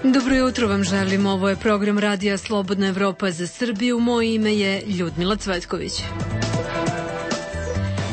Dobro jutro vam želim, ovo je program Radija Slobodna Evropa za Srbiju, moje ime je Ljudmila Cvetković.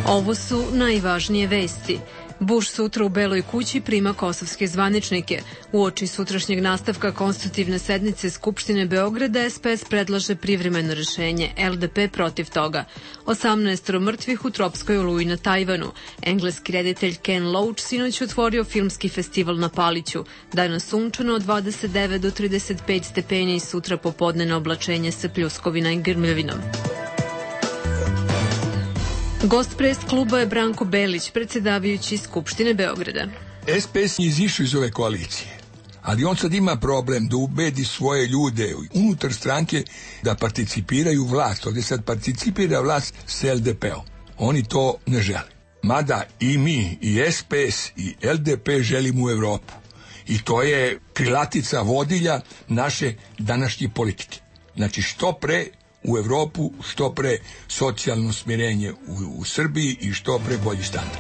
Ovo su najvažnije vesti. Bush sutra u Beloj kući prima kosovske zvaničnike. Uoči sutrašnjeg nastavka konstitutivne sednice Skupštine Beograda SPS predlaže privremeno rešenje, LDP protiv toga. 18 mrtvih u tropskoj oluji na Tajvanu. Engleski reditelj Ken Loach sinoć otvorio filmski festival na Paliću. Danas sunčano od 29 do 35 stepeni i sutra popodnevno oblačenje sa pljuskovina i grmljavinom. Gost pres kluba je Branko Belić, predsedavajući Skupštine Beograda. SPS je izišao iz ove koalicije, ali on sad ima problem da ubedi svoje ljude unutar stranke da participiraju vlast. Ovdje sad participira vlast s LDP-om. Oni to ne žele. Mada i mi, i SPS, i LDP želimo u Evropu. I to je krilatica vodilja naše današnje politike. Znači što pre u Evropu, što pre socijalno smirenje u Srbiji i što pre bolji standard.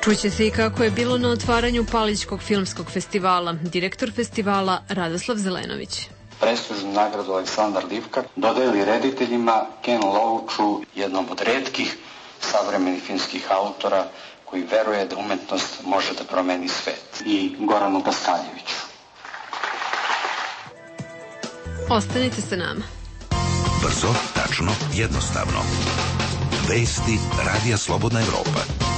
Čuće se i kako je bilo na otvaranju Palićkog filmskog festivala. Direktor festivala Radoslav Zelenović. Prestižnu nagradu Aleksandar Livka dodeli rediteljima Ken Loachu, jednom od retkih savremenih filmskih autora koji veruje da umetnost može da promeni svet, i Goranu Paskaljeviću. Ostanite sa nama. Brzo, tačno, jednostavno. Vesti Radija Slobodna Evropa.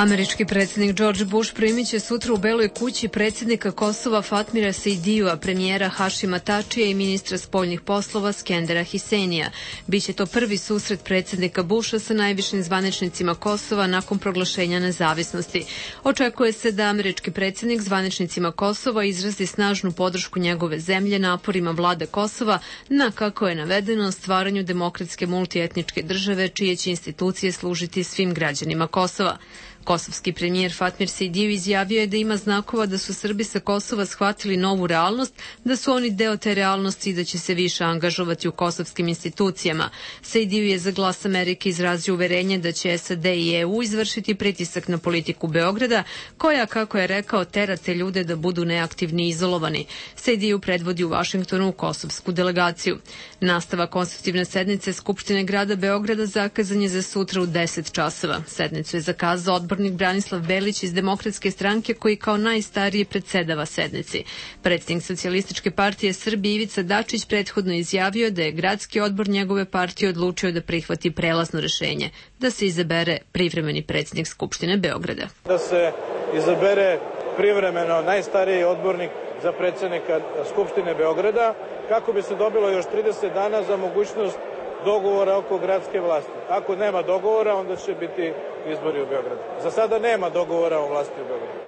Američki predsjednik George Bush primit će sutra u Beloj kući predsjednika Kosova Fatmira Sejdijua, premijera Hašima Tačija i ministra spoljnih poslova Skendera Hissenija. Biće to prvi susret predsjednika Busha sa najvišim zvaničnicima Kosova nakon proglašenja nezavisnosti. Očekuje se da američki predsjednik zvaničnicima Kosova izrazi snažnu podršku njegove zemlje naporima vlade Kosova na, kako je navedeno, stvaranju demokratske multietničke države čije će institucije služiti svim građanima Kosova. Kosovski premijer Fatmir Sejdiju izjavio je da ima znakova da su Srbi sa Kosova shvatili novu realnost, da su oni deo te realnosti i da će se više angažovati u kosovskim institucijama. Sejdiju je za Glas Amerike izrazio uverenje da će SAD i EU izvršiti pritisak na politiku Beograda, koja, kako je rekao, tera te ljude da budu neaktivni i izolovani. Sejdiju predvodi u Vašingtonu u kosovsku delegaciju. Nastava konstitutivne sednice Skupštine grada Beograda zakazan je za sutra u 10 časova. Sednicu je zakazao odbornik Branislav Belić iz Demokratske stranke, koji kao najstariji predsedava sednici. Predsjednik Socijalističke partije Srbije Ivica Dačić prethodno izjavio da je gradski odbor njegove partije odlučio da prihvati prelazno rešenje, da se izabere privremeni predsjednik Skupštine Beograda. Da se izabere privremeno najstariji odbornik za predsjednika Skupštine Beograda, kako bi se dobilo još 30 dana za mogućnost dogovora oko gradske vlasti. Ako nema dogovora, onda će biti izbori u Beogradu. Za sada nema dogovora o vlasti u Beogradu.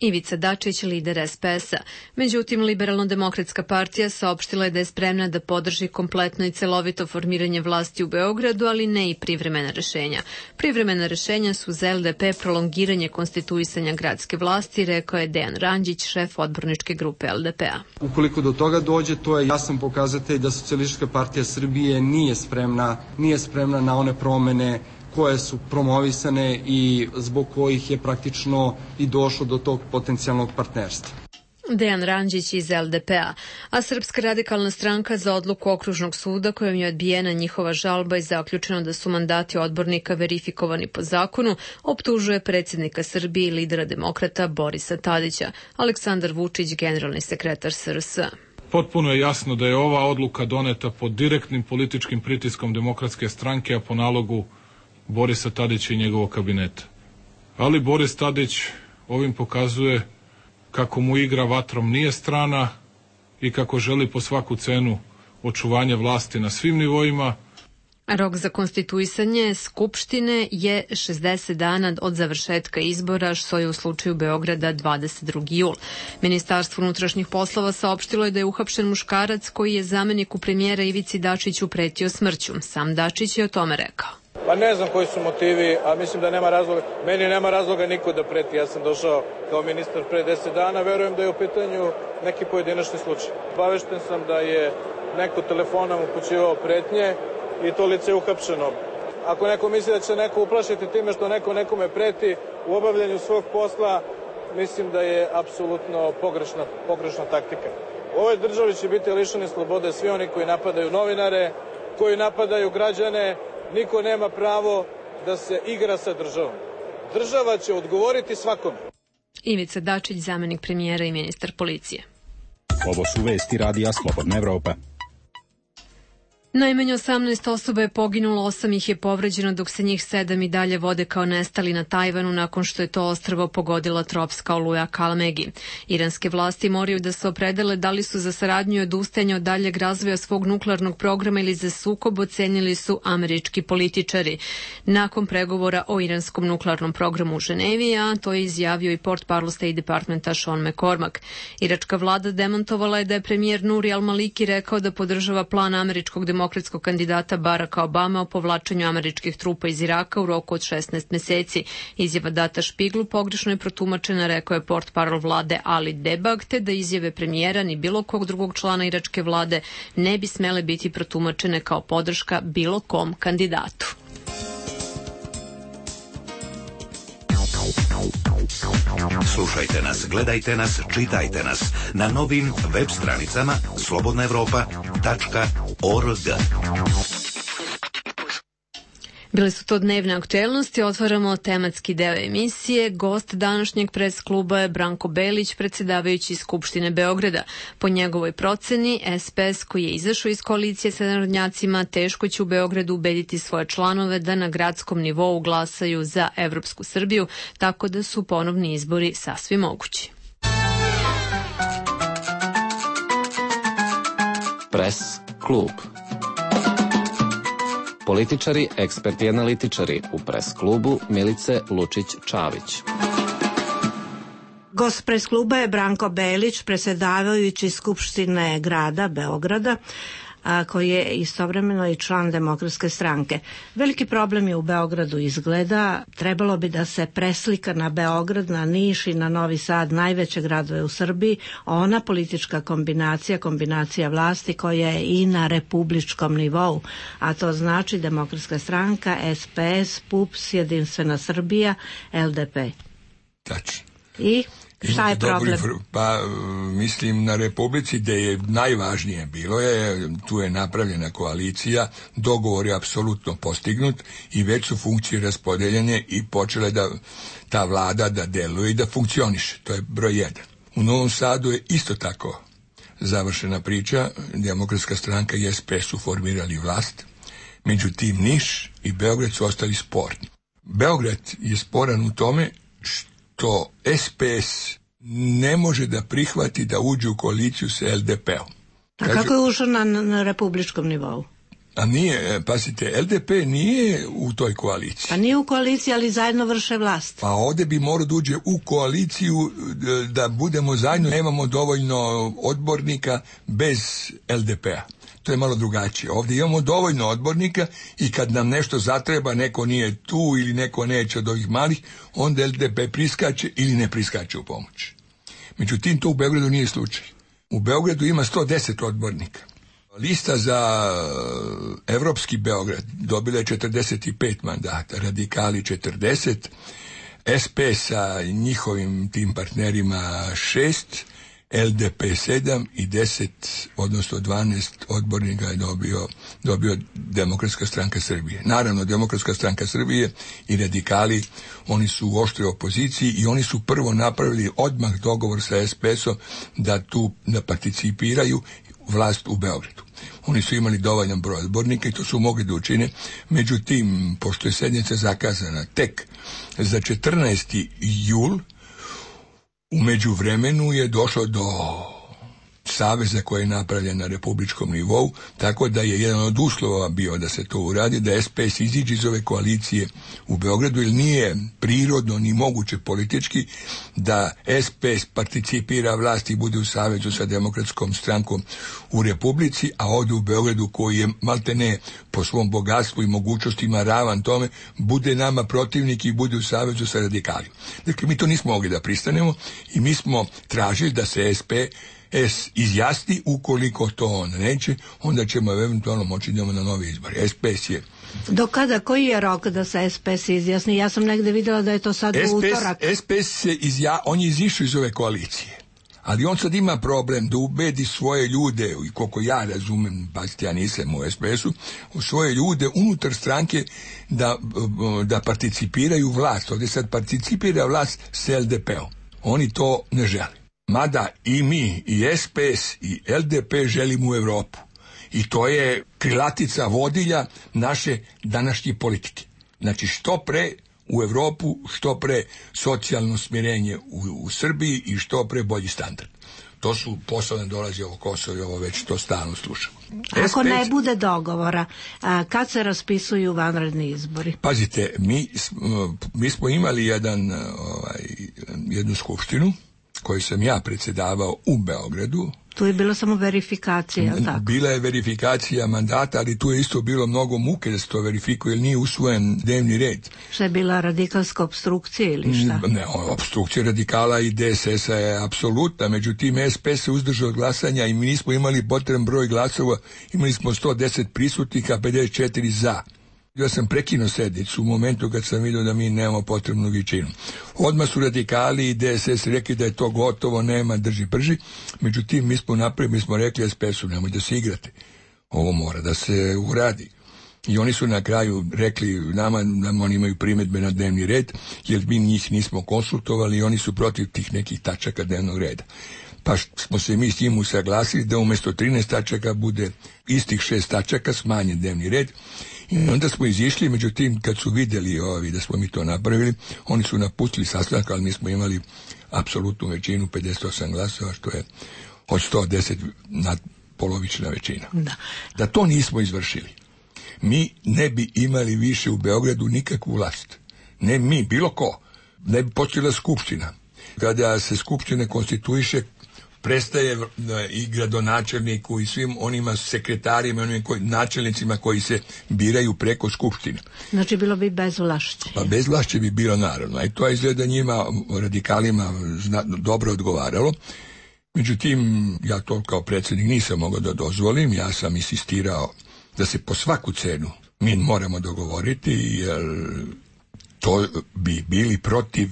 Ivica Dačić, lider SPS-a. Međutim, Liberalno-demokratska partija saopštila je da je spremna da podrži kompletno i celovito formiranje vlasti u Beogradu, ali ne i privremena rešenja. Privremena rešenja su za LDP prolongiranje konstituisanja gradske vlasti, rekao je Dejan Ranđić, šef odborničke grupe LDP-a. Ukoliko do toga dođe, to je jasan pokazatelj da Socijalistička partija Srbije nije spremna na one promene koje su promovisane i zbog kojih je praktično i došlo do tog potencijalnog partnerstva. Dejan Ranđić iz LDP-a, a Srpska radikalna stranka za odluku Okružnog suda kojom je odbijena njihova žalba i zaključeno da su mandati odbornika verifikovani po zakonu, optužuje predsjednika Srbije i lidera demokrata Borisa Tadića. Aleksandar Vučić, generalni sekretar SRS. Potpuno je jasno da je ova odluka doneta pod direktnim političkim pritiskom Demokratske stranke, a po nalogu Borisa Tadića i njegovog kabineta. Ali Boris Tadić ovim pokazuje kako mu igra vatrom nije strana i kako želi po svaku cenu očuvanje vlasti na svim nivoima. Rok za konstituisanje Skupštine je 60 dana od završetka izbora, što je u slučaju Beograda 22. jul. Ministarstvo unutrašnjih poslova saopštilo je da je uhapšen muškarac koji je zameniku premijera Ivici Dačiću pretio smrću. Sam Dačić je o tome rekao. Pa ne znam koji su motivi, a mislim da nema razloga. Meni nema razloga niko da preti. Ja sam došao kao ministar pre 10 dana, verujem da je u pitanju neki pojedinačni slučaj. Obavešten sam da je neko telefonom upućivao pretnje i to lice je uhapšeno. Ako neko misli da će neko uplašiti time što neko nekome preti u obavljanju svog posla, mislim da je apsolutno pogrešna taktika. U ovoj državi će biti lišeni slobode svi oni koji napadaju novinare, koji napadaju građane. Niko nema pravo da se igra sa državom. Država će odgovoriti svakome. Ivica Dačić, zamenik premijera i ministar policije. Ovo su vesti Radija Slobodna Evropa. Najmanje 18 osoba je poginulo, 8 ih je povređeno, dok se njih 7 i dalje vode kao nestali na Tajvanu nakon što je to ostrvo pogodila tropska oluja Kalmegi. Iranske vlasti moraju da se opredele da li su za saradnju i odustajanje od daljeg razvoja svog nuklearnog programa ili za sukob, ocenili su američki političari. Nakon pregovora o iranskom nuklearnom programu u Ženevi, a to je izjavio i portparol State Departmenta Sean McCormack. Iračka vlada demantovala je da je premijer Nuri al-Maliki rekao da podržava plan američkog demokratskog kandidata Baracka Obama o povlačenju američkih trupa iz Iraka u roku od 16 meseci. Izjava data Špiglu pogrešno je protumačena, rekao je portparol vlade Ali Debag, te da izjave premijera ni bilo kog drugog člana iračke vlade ne bi smele biti protumačene kao podrška bilo kom kandidatu. Slušajte nas, gledajte nas, čitajte nas na novim web stranicama slobodnaevropa.org. Bile su to dnevne aktuelnosti, otvaramo tematski deo emisije. Gost današnjeg pres kluba je Branko Belić, predsjedavajući Skupštine Beograda. Po njegovoj proceni, SPS koji je izašao iz koalicije sa narodnjacima teško će u Beogradu ubediti svoje članove da na gradskom nivou glasaju za Evropsku Srbiju, tako da su ponovni izbori sasvim mogući. Pres klub. Političari, eksperti i analitičari u pres klubu Milice Lučić-Čavić. Gost pres kluba je Branko Belić, predsjedavajući Skupštine grada Beograda, koji je istovremeno i član Demokratske stranke. Veliki problem je u Beogradu izgleda, trebalo bi da se preslika na Beograd, na Niš i na Novi Sad, najveće gradove u Srbiji, ona politička kombinacija vlasti koja je i na republičkom nivou, a to znači Demokratska stranka, SPS, PUPS, Jedinstvena Srbija, LDP. Tačno. I šta je problem? Pa mislim na Republici gde je najvažnije bilo je, tu je napravljena koalicija, dogovor je apsolutno postignut i već su funkcije raspodeljene i počele da ta vlada da deluje i da funkcioniše. To je broj 1. U Novom Sadu je isto tako završena priča, Demokratska stranka i SPS su formirali vlast, međutim Niš i Beograd su ostali sporni. Beograd je sporan u tome što SPS ne može da prihvati da uđe u koaliciju sa LDP-om. A kako je ušao na republičkom nivou? A nije, pazite, LDP nije u toj koaliciji. Pa nije u koaliciji, ali zajedno vrše vlast. Pa ovde bi morao da uđe u koaliciju da budemo zajedno, nemamo dovoljno odbornika bez LDP-a. To je malo drugačije. Ovdje imamo dovoljno odbornika i kad nam nešto zatreba, neko nije tu ili neko neće od ovih malih, onda LDP priskače ili ne priskače u pomoć. Međutim, to u Beogradu nije slučaj. U Beogradu ima 110 odbornika. Lista za Evropski Beograd dobila je 45 mandata, radikali 40, SPS sa njihovim tim partnerima 6, LDP 7 i 10, odnosno 12 odbornika je dobio Demokratska stranka Srbije. Naravno, Demokratska stranka Srbije i radikali, oni su u oštroj opoziciji i oni su prvo napravili odmah dogovor sa SPS-om da tu da participiraju vlast u Beogradu. Oni su imali dovoljan broj odbornika i to su mogli da učine. Međutim, pošto je sednica zakazana tek za 14. jul, u međuvremenu je došlo do saveza koji je napravljen na republičkom nivou, tako da je jedan od uslova bio da se to uradi, da SPS iziđe iz ove koalicije u Beogradu, jer nije prirodno ni moguće politički da SPS participira vlasti i bude u savezu sa Demokratskom strankom u Republici, a ovdje u Beogradu, koji je maltene po svom bogatstvu i mogućnostima ravan tome, bude nama protivnik i bude u savezu sa radikalima. Dakle, mi to nismo mogli da pristanemo i mi smo tražili da se SPS izjasni. Ukoliko to on neće, onda ćemo eventualno moći idemo na nove izbore. SPS je Do kada, koji je rok da se SPS izjasni? Ja sam negde videla da je to sad u utorak. SPS on je izišao iz ove koalicije, ali on sad ima problem da ubedi svoje ljude, i koliko ja razumem, pazite, ja nisam u SPS-u, svoje ljude unutar stranke da participiraju vlast. Ovdje sad participira vlast s LDP-om. Oni to ne žele. Mada i mi, i SPS, i LDP želimo u Evropu. I to je krilatica vodilja naše današnje politike. Znači, što pre u Evropu, što pre socijalno smirenje u Srbiji i što pre bolji standard. To su posle dolazi ovo Kosovo i ovo već to stalno slušamo. Ako ne bude dogovora, kad se raspisuju vanredni izbori? Pazite, mi smo imali jednu skupštinu koju sam ja predsjedavao u Beogradu. Tu je bilo samo verifikacija, tako? Bila je verifikacija mandata, ali tu je isto bilo mnogo muke da se to verifikuje, jer nije usvojen dnevni red. Šta je bila radikalska obstrukcija ili šta? Ne, obstrukcija radikala i DSS-a je apsolutna, međutim SPS se uzdržao od glasanja i mi nismo imali potreban broj glasova, imali smo 110 prisutnika, 54 za. Ja sam prekinuo sednicu u momentu kad sam vidio da mi nemamo potrebnu većinu. Odmah su radikali i DSS rekli da je to gotovo, nema drži prži. Međutim, mi smo rekli SPS-u, nemoj da se igrate. Ovo mora da se uradi. I oni su na kraju rekli nama da oni imaju primjedbe na dnevni red, jer mi njih nismo konsultovali i oni su protiv tih nekih tačaka dnevnog reda. Pa smo se mi s njim usaglasili da umjesto 13 tačaka bude istih 6 tačaka, smanjen dnevni red. I onda smo izišli, međutim, kad su vidjeli da smo mi to napravili, oni su napustili sastanak, ali mi smo imali apsolutnu većinu, 58 glasova, što je od 110 nadpolovična većina. Da to nismo izvršili, mi ne bi imali više u Beogradu nikakvu vlast. Ne mi, bilo ko. Ne bi počela skupština. Kada se skupština konstituiše, prestaje i gradonačelniku i svim onima sekretarima, onim načelnicima koji se biraju preko skupštine. Znači bilo bi bezvlašće. Pa bezvlašće bi bilo naravno. I to izgleda njima, radikalima, dobro odgovaralo. Međutim, ja to kao predsjednik nisam mogao da dozvolim. Ja sam insistirao da se po svaku cenu mi moramo dogovoriti, jer to bi bili protiv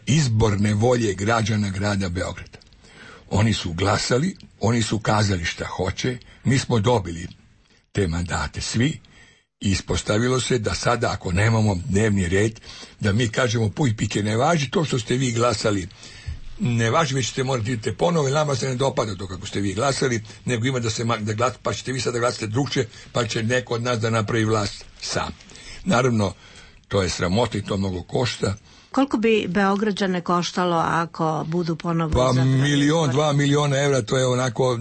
izborne volje građana grada Beograda. Oni su glasali, oni su kazali šta hoće, mi smo dobili te mandate svi i ispostavilo se da sada ako nemamo dnevni red, da mi kažemo puj pike, ne važi to što ste vi glasali, ne važi, već ćete morati idete ponovo i nama se ne dopada to kako ste vi glasali, nego ima da glasate, pa ćete vi sada glasate drugče, pa će neko od nas da napravi vlast sam. Naravno, to je sramota i to mnogo košta. Koliko bi Beograđane koštalo ako budu ponovo izabrani? 2 miliona evra, to je onako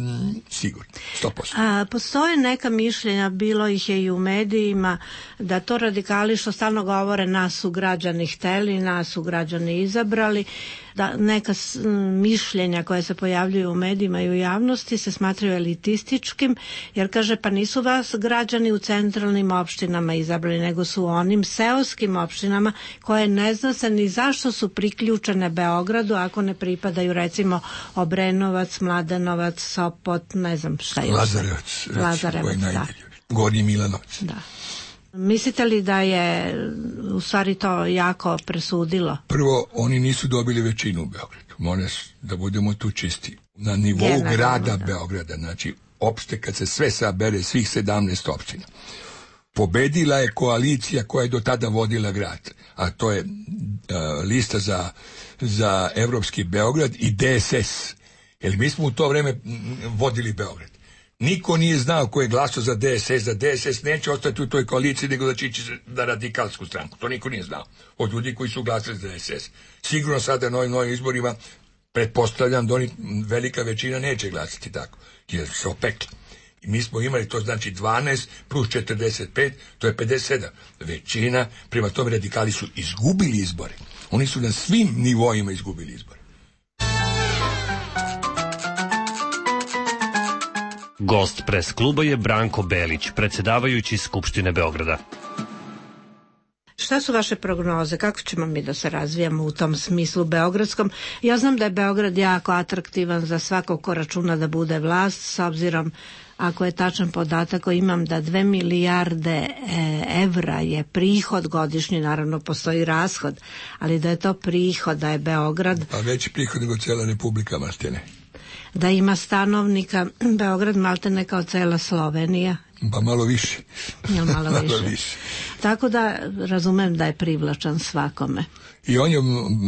sigurno, 100%. Postoje neka mišljenja, bilo ih je i u medijima, da to radikali što stalno govore nas su građani hteli, nas su građani izabrali, da neka mišljenja koje se pojavljuju u medijima i u javnosti se smatraju elitističkim, jer kaže pa nisu vas građani u centralnim opštinama izabrali, nego su u onim seoskim opštinama koje ne zna se ni zašto su priključene Beogradu ako ne pripadaju recimo Obrenovac, Mladenovac, Sopot, ne znam šta je. Lazarevac, da. Gornji Milanovac. Da. Mislite li da je u stvari to jako presudilo? Prvo, oni nisu dobili većinu u Beogradu. Moram da budemo tu čisti. Na nivou grada Beograda, znači opšte kad se sve sabere, svih 17 opština. Pobedila je koalicija koja je do tada vodila grad, a to je lista za Evropski Beograd i DSS. Jer mi smo u to vreme vodili Beograd. Niko nije znao ko je glasao za DSS, da DSS neće ostati u toj koaliciji, nego da će ići na radikalsku stranku. To niko nije znao. Od ljudi koji su glasali za DSS. Sigurno sada na novim izborima pretpostavljam da oni velika većina neće glasati tako, jer se opekli. I mi smo imali, to znači 12 plus 45, to je 57. Većina, prema tome radikali su izgubili izbore. Oni su na svim nivoima izgubili izbore. Gost pres kluba je Branko Belić, predsjedavajući Skupštine Beograda. Šta su vaše prognoze? Kako ćemo mi da se razvijamo u tom smislu beogradskom? Ja znam da je Beograd jako atraktivan za svakog ko računa da bude vlast, s obzirom, ako je tačan podatak koji imam, da 2 milijarde evra je prihod godišnji, naravno postoji rashod, ali da je to prihod, da je Beograd... Pa veći prihod nego cijela Republika maltene. Da ima stanovnika Beograd maltene kao cela Slovenija. Pa malo više. Malo više. Tako da razumem da je privlačan svakome. I on je,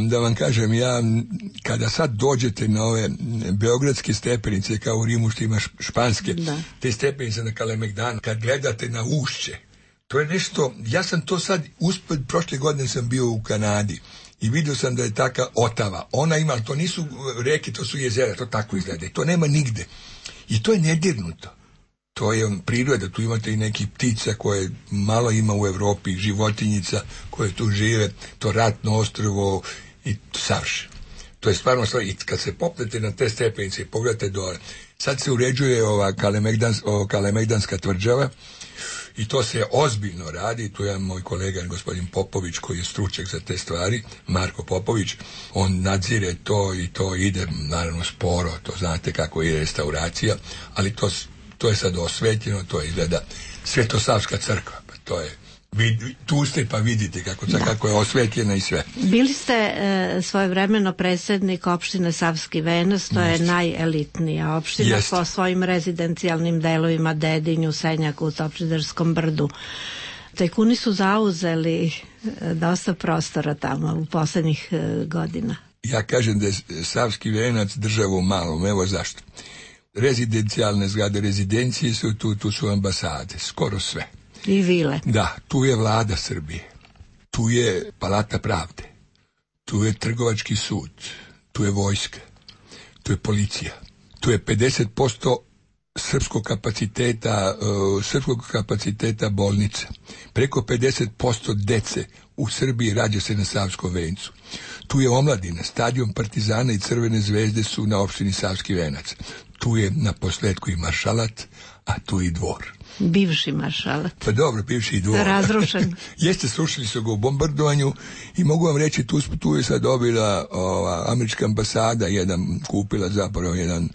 da vam kažem, ja kada sad dođete na ove beogradske stepenice, kao u Rimu što ima španske, te stepenice na Kalemegdan, kad gledate na ušće, to je nešto, ja sam to sad uspred, prošle godine sam bio u Kanadi i vidio sam da je taka Otava. Ona ima, to nisu reke, to su jezera, to tako izgleda. To nema nigde. I to je nedirnuto. To je priroda, tu imate i neki ptica koje malo ima u Evropi, životinjica koje tu žive, to ratno ostrvo i savršeno. To je stvarno stvar. I kad se popnete na te stepenice i pogledate dole, sad se uređuje ova Kalemegdanska tvrđava i to se ozbiljno radi. Tu je moj kolega gospodin Popović koji je stručnjak za te stvari, Marko Popović, on nadzire to i to ide naravno sporo, to znate kako ide restauracija, ali to je sad osvetljeno, to izgleda Svetosavska crkva, pa to je, tu ste pa vidite kako je osvetljena i sve. Bili ste svojevremeno predsjednik opštine Savski Venac, to je najelitnija opština po svojim rezidencijalnim delovima, Dedinju, Senjaku, Topčiderskom brdu. Tajkuni su zauzeli dosta prostora tamo u poslednjih godina. Ja kažem da je Savski Venac država u malom, evo zašto. Rezidencijalne zgrade, rezidencije su tu su ambasade, skoro sve. I vile. Da, tu je vlada Srbije, tu je Palata pravde, tu je trgovački sud, tu je vojska, tu je policija, tu je 50% srpskog kapaciteta bolnica, preko 50% dece u Srbiji rađa se na Savskom vencu. Tu je omladina, stadion Partizana i Crvene zvezde su na opštini Savski Venac. Tu je na posledku i maršalat, a tu i dvor. Bivši maršalat. Pa dobro, bivši i dvor. Razrušen. Jeste, srušili su ga u bombardovanju i mogu vam reći, tu je sad dobila američka ambasada, kupila zapravo jedan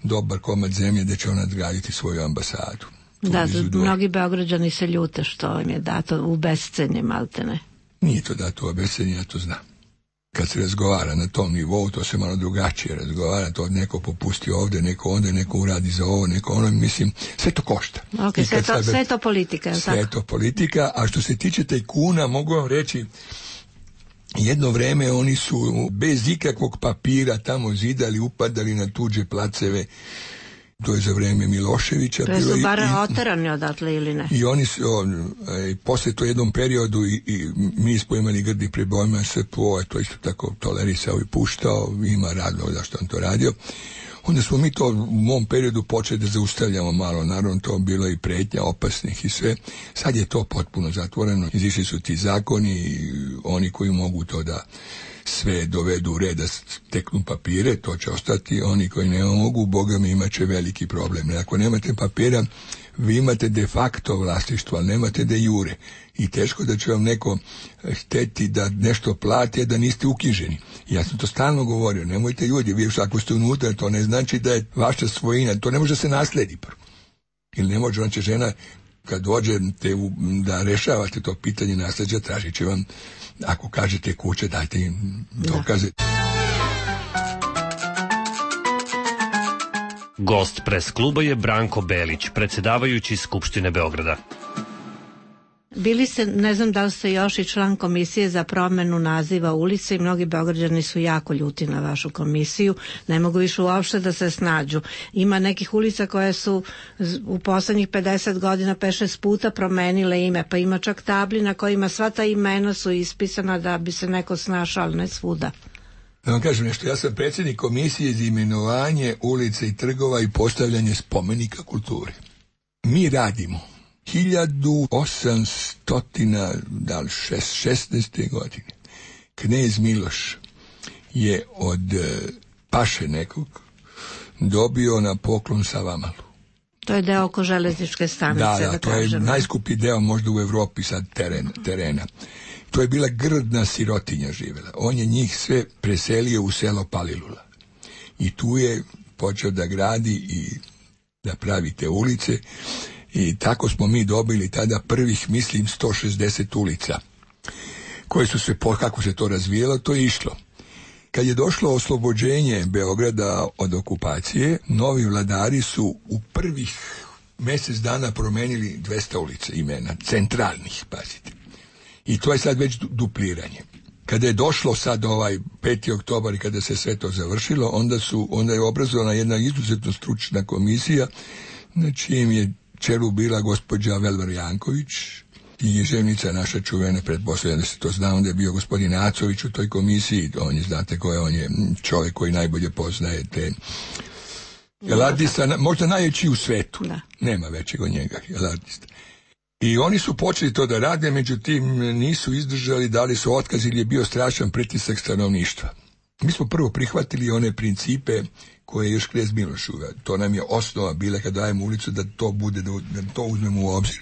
dobar komad zemlje da će ona odgraditi svoju ambasadu. Da, mnogi Beograđani se ljute što im je dato u bescenje maltene. Nije to dato u bescenje, ja to znam. Kad se razgovara na tom nivou, to se malo drugačije razgovara, to neko popusti ovde, neko onda, neko uradi za ovo, neko ono, mislim, sve to košta. Sve to politika, je li tako? Sve to politika, a što se tiče tajkuna, mogu vam reći, jedno vreme oni su bez ikakvog papira tamo zidali, upadali na tuđe placeve. To je za vreme Miloševića. To su bar oterani odatle ili ne? I oni su, posle to jednom periodu i mi smo imali grdi prebojima SPO, to isto tako tolerisao i puštao, ima razlog zašto on to radio. Onda smo mi to u mom periodu počeli da zaustavljamo malo, naravno to bilo i pretnja opasnih i sve. Sad je to potpuno zatvoreno, izišli su ti zakoni, oni koji mogu to da sve dovedu u red, da steknu papire, to će ostati, oni koji ne mogu, Boga mi imat će veliki problem. Ako nemate papira, vi imate de facto vlasništvo, ali nemate de jure. I teško da će vam neko hteti da nešto plati, a da niste uknjiženi. Ja sam to stalno govorio, nemojte ljudi, vi ako ste unutra, to ne znači da je vaša svojina, to ne može se nasledi prvo. Ili ne može, znači žena, kad dođete da rešavate to pitanje nasleđa, tražit će vam, ako kažete kuće, dajte im dokaze. Gost pres kluba je Branko Belić, predsjedavajući Skupštine Beograda. Bili ste, ne znam da li ste još i član komisije za promenu naziva ulice i mnogi Beograđani su jako ljuti na vašu komisiju, ne mogu više uopšte da se snađu. Ima nekih ulica koje su u poslednjih 50 godina 5-6 puta promenile ime, pa ima čak tabli na kojima sva ta imena su ispisana da bi se neko snašao, ali ne svuda. Da vam kažem nešto, ja sam predsjednik komisije za imenovanje ulice i trgova i postavljanje spomenika kulture. Mi radimo 1816. godine. Knez Miloš je od paše nekog dobio na poklon Savamalu. To je deo oko železničke stanice, da to kažemo. je najskuplji deo možda u Evropi sad terena. To je bila grdna sirotinja živela. On je njih sve preselio u selo Palilula. I tu je počeo da gradi i da pravi te ulice. I tako smo mi dobili tada prvih, mislim, 160 ulica. Koje su se, kako se to razvijelo, to je išlo. Kad je došlo oslobođenje Beograda od okupacije, novi vladari su u prvih mjesec dana promenili 200 ulica imena, centralnih, pazite. I to je sad već dupliranje. Kada je došlo sad 5. oktobar i kada se sve to završilo, onda je obrazovana jedna izuzetno stručna komisija, na čijem je čelu bila gospođa Velvar Janković, književnica naša čuvena, pretpostavljam da se to zna, onda je bio gospodin Acović u toj komisiji, znate ko je, on je čovjek koji najbolje poznaje te Elardista, možda najveći u svetu, nema većeg od njega, Elardista. I oni su počeli to da rade, međutim nisu izdržali, dali su otkaz ili je bio strašan pritisak stanovništva. Mi smo prvo prihvatili one principe koje je još Knez Miloš uveo. To nam je osnova bila kad dajemo ulicu da to bude, da to uzmemo u obzir.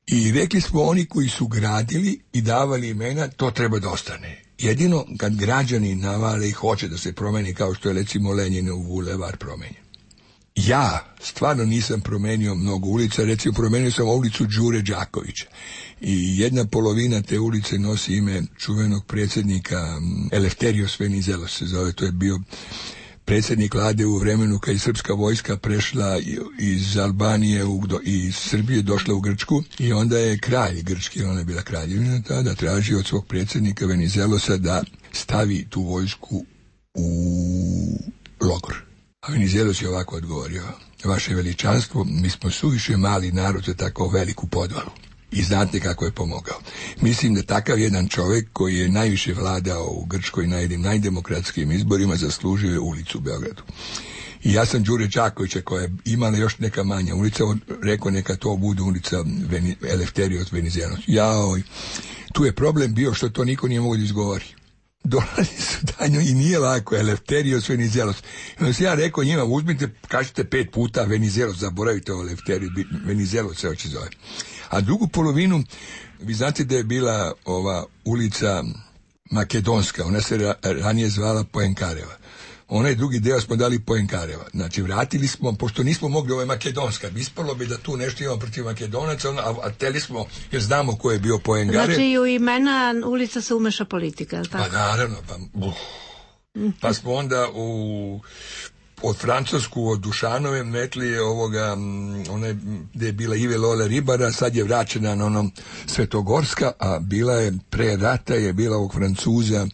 I rekli smo, oni koji su gradili i davali imena, to treba da ostane. Jedino kad građani navale i hoće da se promeni, kao što je recimo Lenjinov bulevar promenjen. Ja stvarno nisam promenio mnogo ulica, recimo promenio sam ulicu Đure Đakovića. I jedna polovina te ulice nosi ime čuvenog predsjednika Elefterios Venizelos se zove, to je bio predsjednik vlade u vremenu kad je srpska vojska prešla iz Albanije i Srbije došla u Grčku i onda je kralj grčki, ona je bila kraljevina tada, tražio od svog predsjednika Venizelosa da stavi tu vojsku u logor. A Venizelos je ovako odgovorio: vaše veličanstvo, mi smo suviše mali narod za tako veliku podvalu. I znate kako je pomogao. Mislim da takav jedan čovjek koji je najviše vladao u Grčkoj najdemokratskim izborima zaslužuje ulicu u Beogradu. I ja sam Đure Đakovića, koja je imala još neka manja ulica, rekao neka to bude ulica Elefterios Venizelos. Tu je problem bio što to niko nije mogao da izgovori. Dolazi su danju i nije lako Elefterios Venizelos. Onda sam ja rekao njima, uzmite, kažete 5 puta Venizelos, zaboravite o Elefterios, Venizelos se oči zove. A drugu polovinu, vi znate da je bila ova ulica Makedonska, ona se ranije zvala Poenkareva. Onaj drugi deo smo dali Poenkareva. Znači, vratili smo, pošto nismo mogli, ovo je Makedonska, ispalo bi da tu nešto imamo protiv Makedonaca, a teli smo, jer znamo ko je bio Poenkarev. Znači, i u imena ulica se umeša politika, je li tako? Pa naravno, pa smo onda od Francusku, od Dušanove metli one gde je bila Ive Lola Ribara, sad je vraćena na onom Svetogorska, a bila je pre rata je bila ovog Francuza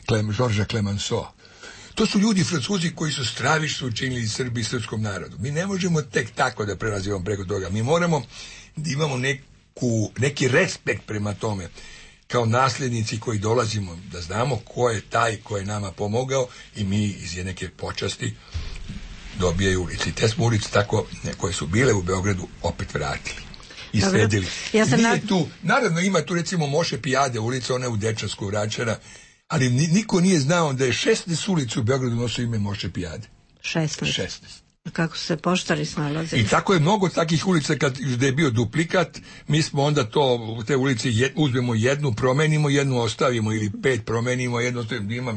Georgesa Clemenceau. To su ljudi Francuzi koji su stravično učinili Srbiji i srpskom narodu. Mi ne možemo tek tako da prelazimo preko toga. Mi moramo da imamo neki respekt prema tome, kao nasljednici koji dolazimo, da znamo ko je taj ko je nama pomogao i mi iz neke počasti dobijaju ulici. Te smo ulici tako, koje su bile u Beogradu, opet vratili i sredili. Naravno ima tu recimo Moše Pijade ulica, ona je u Dečansku vraćena, ali niko nije znao da je 16 ulica u Beogradu nosio ime Moše Pijade. 16. Kako su se poštari snalazili. I tako je mnogo takih ulica gde je bio duplikat, mi smo onda te ulice uzmemo jednu, promenimo, jednu ostavimo ili 5 promenimo, jednu ostavimo, ima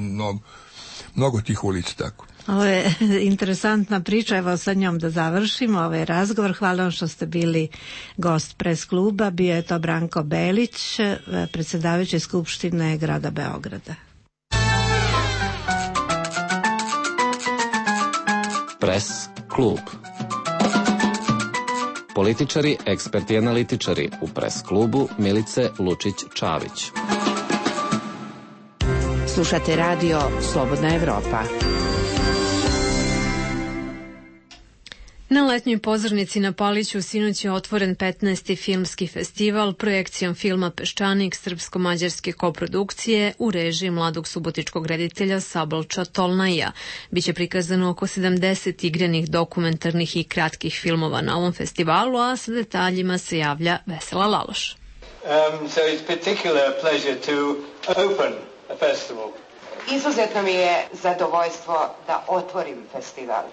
mnogo tih ulica tako. Ovo je interesantna priča, evo sa njom da završimo ovaj razgovor. Hvala vam što ste bili gost Pres kluba. Bio je to Branko Belić, predsjedavajući Skupštine grada Beograda. Pres klub. Političari, eksperti i analitičari u Pres klubu Milice Lučić-Čavić. Slušate radio Slobodna Evropa. Na letnjoj pozornici na Paliću sinoć je otvoren 15. filmski festival projekcijom filma Peščanik srpsko-mađarske koprodukcije u režiji mladog subotičkog reditelja Sablča Tolnaja. Biće prikazano oko 70 igranih, dokumentarnih i kratkih filmova na ovom festivalu, a sa detaljima se javlja Vesela Laloš. So it's particular pleasure to open a festival. Izuzetno mi je zadovoljstvo da otvorim festival.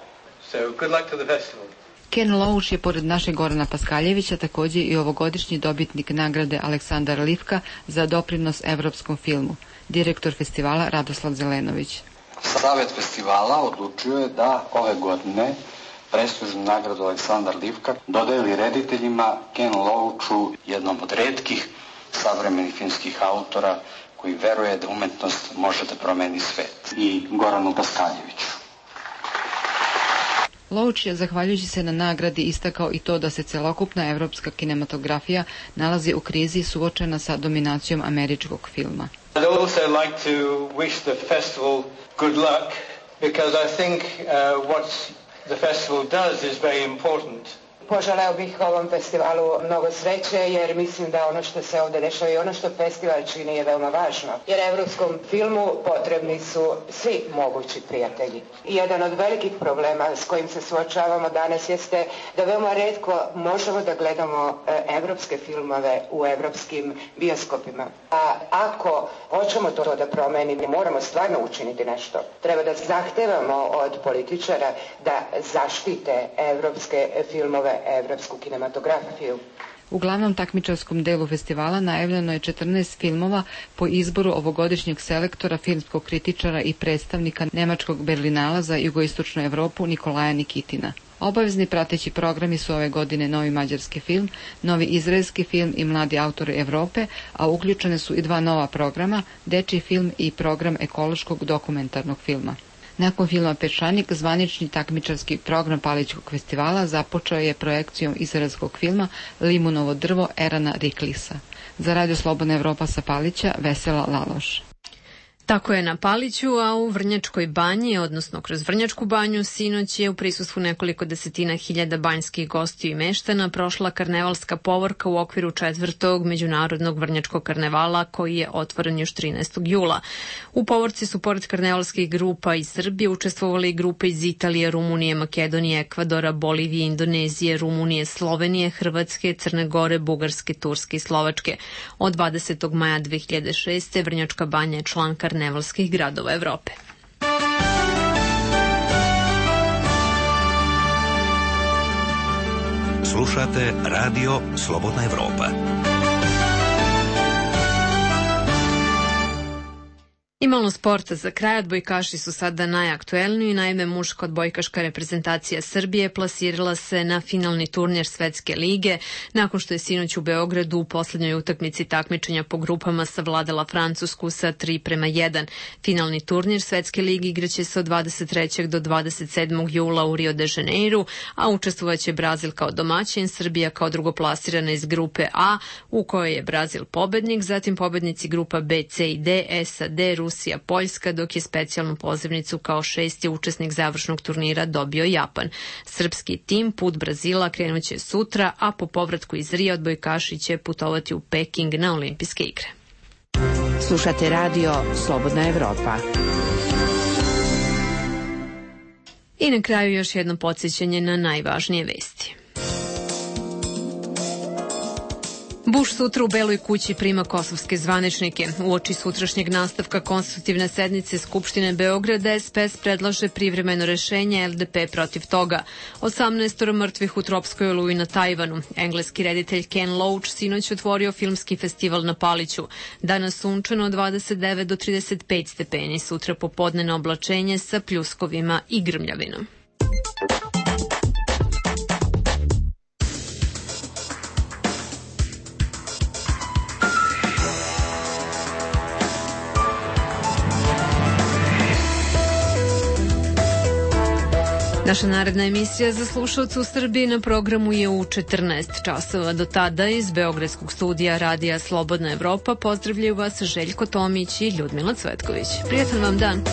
So good luck to the festival. Ken Loach je pored našeg Gorana Paskaljevića također i ovogodišnji dobitnik nagrade Aleksandar Livka za doprinos evropskom filmu. Direktor festivala Radoslav Zelenović. Savet festivala odlučio je da ove godine prestižnu nagradu Aleksandar Livka dodeli rediteljima Ken Loachu, jednom od retkih savremenih filmskih autora koji veruje da umetnost može da promeni svet, i Goranu Paskaljeviću. Loach je, zahvaljujući se na nagradi, istakao i to da se celokupna evropska kinematografija nalazi u krizi suočena sa dominacijom američkog filma. I'd also like to wish the festival good luck because I think what the festival does is very important. Poželeo bih ovom festivalu mnogo sreće jer mislim da ono što se ovdje dešava i ono što festival čini je veoma važno. Jer evropskom filmu potrebni su svi mogući prijatelji. I jedan od velikih problema s kojim se suočavamo danas jeste da veoma retko možemo da gledamo evropske filmove u evropskim bioskopima. A ako hoćemo to da promenimo, moramo stvarno učiniti nešto. Treba da zahtevamo od političara da zaštite evropske filmove, evropsku kinematografiju. U glavnom takmičarskom delu festivala najavljeno je 14 filmova po izboru ovogodišnjeg selektora, filmskog kritičara i predstavnika nemačkog Berlinala za jugoistočnu Evropu Nikolaja Nikitina. Obavezni prateći programi su ove godine novi mađarski film, novi izraelski film i mladi autori Evrope, a uključene su i 2 nova programa, dečiji film i program ekološkog dokumentarnog filma. Nakon filma Peščanik, zvanični takmičarski program Palićkog festivala započeo je projekcijom izraelskog filma Limunovo drvo Erana Riklisa. Za Radio Slobodna Evropa sa Palića, Vesela Laloš. Tako je na Paliću, a u Vrnjačkoj banji, odnosno kroz Vrnjačku banju, sinoć je u prisustvu nekoliko desetina hiljada banjskih gostiju i meštana prošla karnevalska povorka u okviru 4. međunarodnog Vrnjačkog karnevala koji je otvoren još 13. jula. U povorci su pored karnevalskih grupa iz Srbije učestvovali i grupe iz Italije, Rumunije, Makedonije, Ekvadora, Bolivije, Indonezije, Rumunije, Slovenije, Hrvatske, Crne Gore, Bugarske, Turske i Slovačke. Od 20. maja 2006. Vrnjačka banja je član karnevalskih gradova Evrope. Slušate Radio Slobodna Evropa. I malo sporta za kraj. Odbojkaši su sada najaktuelniji. Naime, muška odbojkaška reprezentacija Srbije plasirala se na finalni turnir Svetske lige nakon što je sinoć u Beogradu u poslednjoj utakmici takmičenja po grupama savladala Francusku sa 3:1. Finalni turnir Svetske lige igraće se od 23. do 27. jula u Rio de Janeiru, a učestvovaće Brazil kao domaćin, Srbija kao drugoplasirana iz grupe A, u kojoj je Brazil pobednik, zatim pobednici grupa B, C i D, SAD, Rusija, Poljska, dok je specijalnu pozivnicu kao 6. učesnik završnog turnira dobio Japan. Srpski tim put Brazila krenuće sutra, a po povratku iz Rija odbojkaši će putovati u Peking na olimpijske igre. Slušate Radio Slobodna Evropa. I na kraju još jedno podsjećanje na najvažnije vesti. Bush sutra u Beloj kući prima kosovske zvaničnike. Uoči sutrašnjeg nastavka konstitutivne sednice Skupštine Beograda, SPS predlaže privremeno rešenje, LDP protiv toga. 18 mrtvih u tropskoj oluji na Tajvanu. Engleski reditelj Ken Loach sinoć otvorio filmski festival na Paliću. Danas sunčano 29 do 35 stepeni, sutra popodnevno oblačenje sa pljuskovima i grmljavinom. Naša naredna emisija za slušalce u Srbiji na programu je u 14 časova. Do tada iz Beogradskog studija Radija Slobodna Evropa pozdravljaju vas Željko Tomić i Ljudmila Cvetković. Prijatan vam dan!